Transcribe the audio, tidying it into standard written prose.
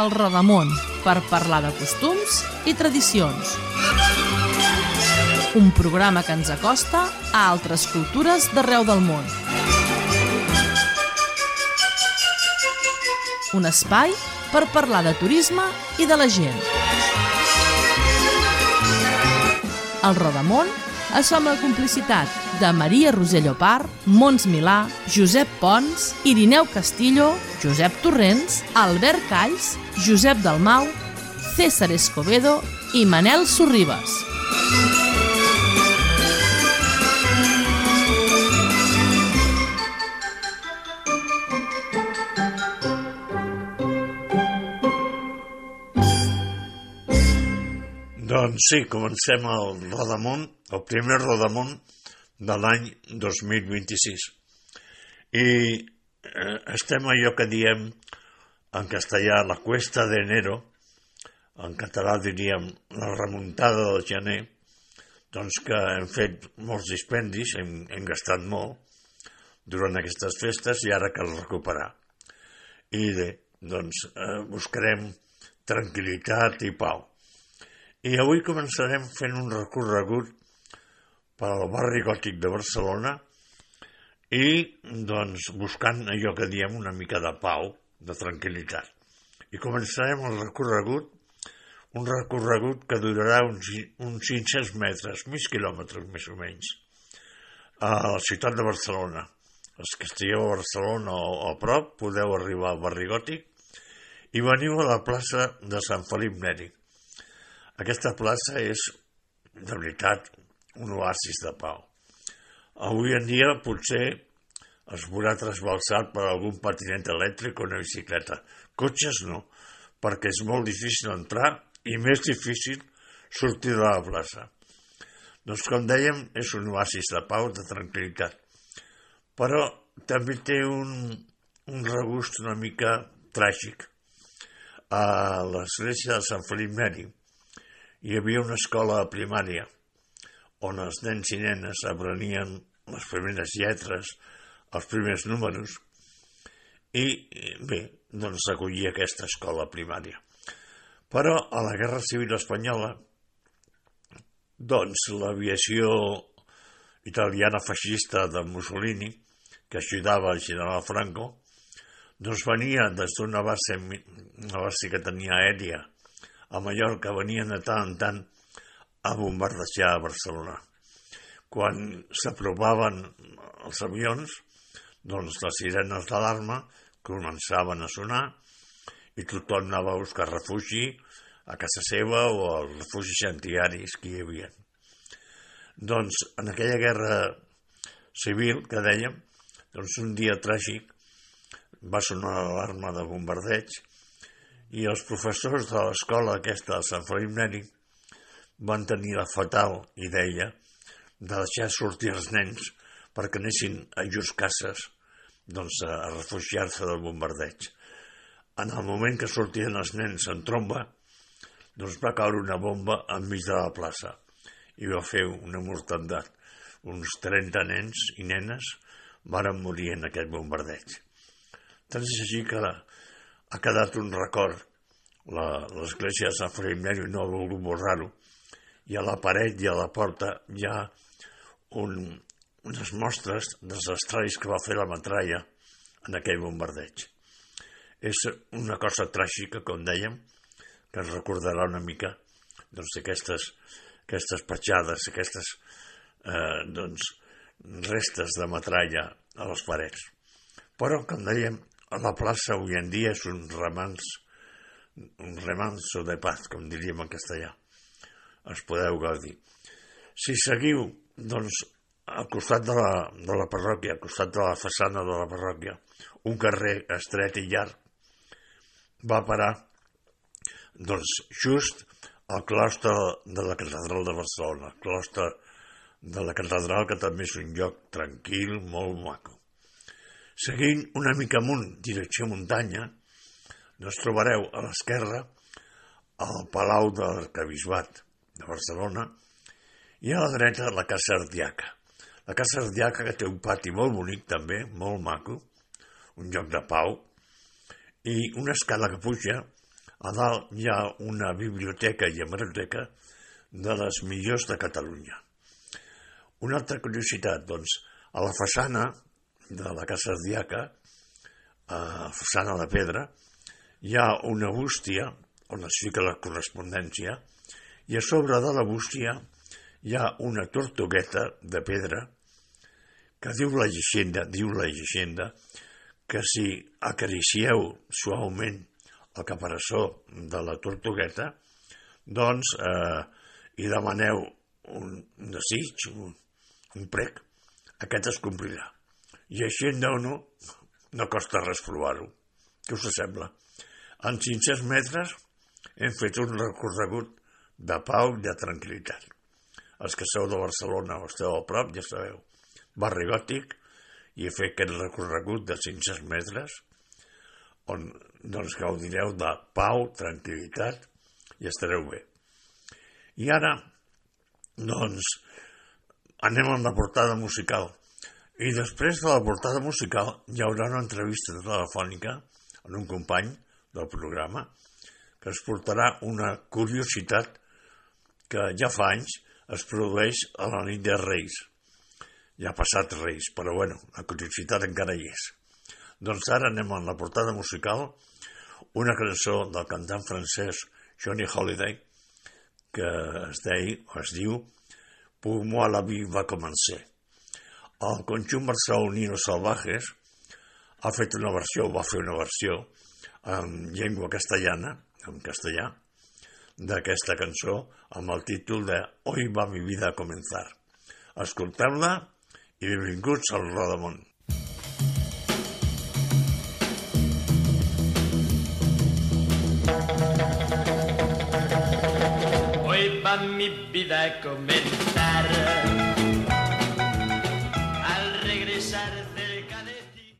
El Rodamón, per parlar de costums i tradicions. Un programa que ens acosta a altres cultures d'arreu del món. Un espai per parlar de turisme i de la gent. El Rodamón es fa amb la complicitat de Maria Roser Llopart, Mons Milà, Josep Pons, Irineu Castillo, Josep Torrents, Albert Calls, Josep Dalmau, César Escobedo i Manel Sorribes. Doncs sí, comencem el Rodamón, el primer Rodamón de l'any 2026. I estem allò que diem en castellà la cuesta de enero, en català diríem la remuntada del gener, doncs que hem fet molts dispendis, hem gastat molt durant aquestes festes i ara cal recuperar. I doncs buscarem tranquil·litat i pau. I avui començarem fent un recorregut per al barri gòtic de Barcelona i doncs buscant allò que diem una mica de pau, de tranquil·litat. I començarem el recorregut, un recorregut que durarà uns 500 metres, mig quilòmetres més o menys, a la ciutat de Barcelona. Els que estigueu a Barcelona o a prop podeu arribar al barri gòtic i veniu a la plaça de Sant Felip Neri. Aquesta plaça és, de veritat, un oasis de pau. Avui en dia potser es veurà trasbalsat per algun patinet elèctric o una bicicleta. Cotxes no, perquè és molt difícil entrar i més difícil sortir de la plaça. Doncs, com dèiem, és un oasis de pau, de tranquil·litat. Però també té un regust una mica tràgic. A l'església de Sant Felip Neri hi havia una escola primària on els nens i nenes aprenien les primeres lletres, els primers números, i bé, doncs s'acollia aquesta escola primària. Però a la Guerra Civil Espanyola, doncs l'aviació italiana feixista de Mussolini, que ajudava el general Franco, doncs venia des d'una base que tenia aèria a Mallorca, venien de tant en tant a bombardejar a Barcelona. Quan s'aprovaven els avions, doncs les sirenes d'alarma començaven a sonar i tothom anava a buscar refugi a casa seva o als refugis antiaris que hi havia. Doncs en aquella guerra civil que dèiem, doncs un dia tràgic va sonar l'alarma de bombardeig i els professors de l'escola aquesta de Sant Felip Neri van tenir la fatal idea de deixar sortir els nens perquè anessin a llurs cases doncs, a refugiar-se del bombardeig. En el moment que sortien els nens en tromba, doncs va caure una bomba enmig de la plaça i va fer una mortandat. Uns 30 nens i nenes varen morir en aquest bombardeig. Tant és així que ha quedat un record. L'església de Sant Felip Neri no ha volgut borrar-ho i a la paret i a la porta hi ha unes mostres dels estralls que va fer la metralla en aquell bombardeig. És una cosa tràgica, com dèiem, que ens recordarà una mica doncs, aquestes petjades, aquestes restes de metralla a les parets. Però, com dèiem, a la plaça avui en dia és un remanso de paz, com diríem en castellà. Es podeu gaudir. Si seguiu, doncs, al costat de la parròquia, al costat de la façana de la parròquia, un carrer estret i llarg, va parar, doncs, just al claustre de la catedral de Barcelona, el claustre de la catedral, que també és un lloc tranquil, molt maco. Seguint una mica amunt, direcció muntanya, doncs trobareu a l'esquerra el Palau de l'Arquebisbat de Barcelona i a la dreta la Casa Ardiaca. La Casa Ardiaca, que té un pati molt bonic també, molt maco, un lloc de pau, i una escala que puja A dalt hi ha una biblioteca i hemeroteca de les millors de Catalunya. Una altra curiositat, doncs, a la façana de la Casa Ardiaca, a façana de pedra, hi ha una bústia on es fica la correspondència i a sobre de la bústia hi ha una tortugueta de pedra que diu la llegenda que si acaricieu suaument el caparaçó de la tortugueta, doncs hi demaneu un desig, un prec, aquest es complirà. I així en Déu-no costa res provar-ho. Què us sembla? En 500 metres hem fet un recorregut de pau i de tranquil·litat. Els que sou de Barcelona o esteu a prop, ja sabeu, barri gòtic, i he fet aquest recorregut de 500 metres on doncs gaudireu de pau, tranquil·litat i estareu bé. I ara, doncs, anem amb la portada musical. I després de la portada musical hi haurà una entrevista telefònica amb un company del programa que es portarà una curiositat que ja fa anys es produeix a la nit de Reis. Ja ha passat Reis, però bueno, la curiositat encara hi és. Doncs ara anem amb la portada musical, una cançó del cantant francès Johnny Hallyday que es diu Pour moi la vie va commencer. El conjunt barceloní Los Salvajes va fer una versió en llengua castellana, en castellà, d'aquesta cançó amb el títol de Hoy va mi vida a comenzar. Escolteu-la i benvinguts al Rodamón. Hoy va mi vida a comenzar.